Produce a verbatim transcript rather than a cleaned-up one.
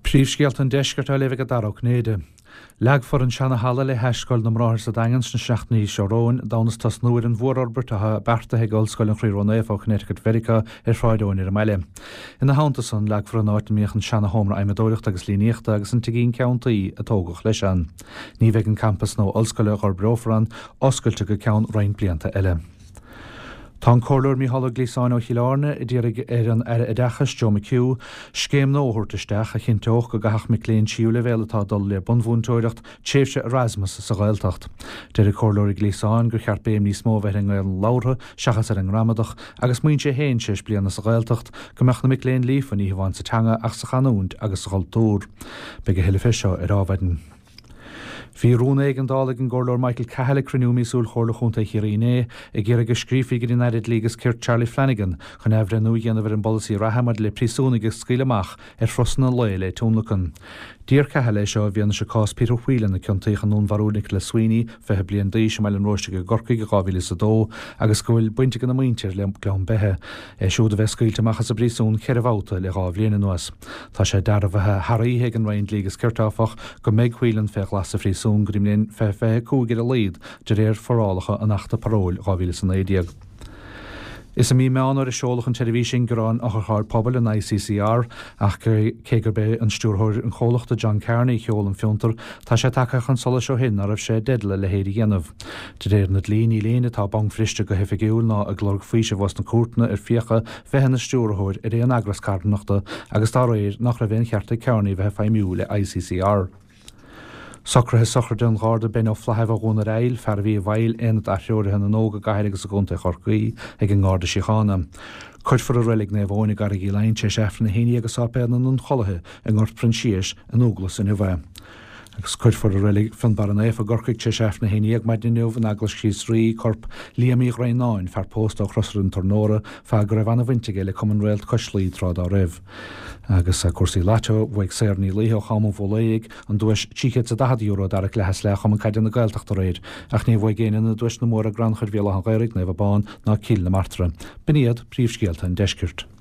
Príomhscéalta an deiscirt á léamh ag Dara Ó Cinnéide. Leagfar an seana-halla le hais Scoil na mBráthar sa Daingean sna seachtainí seo romhainn d'fhonn is tosnú ar an mhórfhorbairt atá beartaithe ag Ollscoil an Chroí Ró-Naofa ó Connecticut Mheiriceá ar Shráid Eoin ar an mbaile. Ina theannta san, leagfar an áit a mbíodh an seana-sheomra adhmadóireachta agus líníochta agus an tigín ceann tuí a tógadh leis ann. Ní bheidh an campas nua ollscoile a dh'fhorbrófar ann oscailte go ceann roinnt blianta eile. Tá an Comhairleoir Mícheál Ó Gliasáin ó Chill Airne ag iarraidh ar an Aire Oideachais Joe McHugh scéim nua a thabhairt isteach a chinnteodh go gcaithfeadh mic léinn tríú leibhéal atá ag dul le bunmhúinteoireacht tréimhse Erasmus sa Ghaeltacht. Deir an Comhairleoir Ó Gliasáin gur cheart béim níos mó a bheith ar an nGaelainn labhartha seachas ar an ngramadach agus maíonn sé féin tar éis bliana sa Ghaeltacht go mbeadh na mic léinn líofa ní hamháin sa teanga ach sa chanúint agus sa chultúr. Beidh a thuilleadh fé seo ar Adhmhaidin. Bhí rún éigeandála ag an gComhairleoir Michael Cahill ag cruinniú míosúil Chomhairle Chontae Chiarraí inné ag iarraidh go scríofaí go dtí an Aire Dlí agus Cirt Charlie Flanagan chun athbhreithniú a dhéanamh ar an bpolasaí reatha maidir le príosúnaigh a scaoileadh amach ar thurasanna lae le tionlacan. D'iarr Cahill é seo i bhfianaise cás Peter Whelan a ciontaíodh i ndúnmharú Nicholas Sweeney, fiche bliain d'aois i mBaile an Róistigh i gCorcaigh i dhá mhíle is a dó agus go bhfuil baint ag a mhuintir le Gleann Beithe, é siúd a bheith scaoilte amach as an bpríosún ceithre bhabhta le dhá bhliain anuas. Tá sé dearbhaithe thar oíche ag an Roinn Dlí agus Cirt áfach go mbeidh Whelan fé ghlas sa phríosún go dtí an bhliain fiche fiche cúig ar a laghad de réir forálacha an Achta Paróil dhá mhíle is a naoi déag. Is i mí Meán Fhómhair a seoladh an tseirbhís ingearáin otharchairr pobail an I C C R ach cé gurb é an stiúrthóir an chomhlachta John Carney a sheol an fiontar, tá sé tagtha chun solais ó shin nach raibh sé i dteideal a leithéid a dhéanamh. De réir na dlí níl éinne atá bancbhriste go hoifigiúil ná ag lorg faoisimh ós na cúirteanna ar fiacha bheith ina stiúrthóir ar aon eagras carthanachta agus dá réir nach raibh aon cheart ag Carney bheith ag feidhmiú le I C C R. Socruithe sochraide an Gharda Ben Ó Flathaimh ó Dhún ar Aill, fear a bhí i bhfeighil Aonad Atreoraithe na nÓg i gCathair agus i gContae Chorcaí ag an nGarda Síochána. Cuirfear i Reilig Naomh Eoin i gCarraig Uí Leighin tar éis Aifreann a haon déag i Sáipéal na nIonchollaithe i nGort Proinsiais i nDúglas inniu é. Agus cuirfear i Reilig Fionnbarra Naofa i gCorcaigh tar éis Aifreann a haon déag maidin inniu in Eaglais Chríost Rí corp Liam Uí Dhroighneáin, fear pósta ó Chrosaire an Tornóra, fear go raibh an-bhaint aige le Cumann Réalt Cois Laoi tráth dá raibh. Agus cúrsaí lató bhuaigh Sarah Ní Laoithe ó Cham an Bhólaigh an duais trí chéad is daichead euro dara cluiche is leath Chumann Caide na Gaeltachta aréir, ach ní bhuaigh éinne na duaiseanna móra i gCrannchur Bhéal Átha an Ghaorthaidh, Naomh Abán ná Cill na Martra. B'in iad príomhscéalta an deiscirt.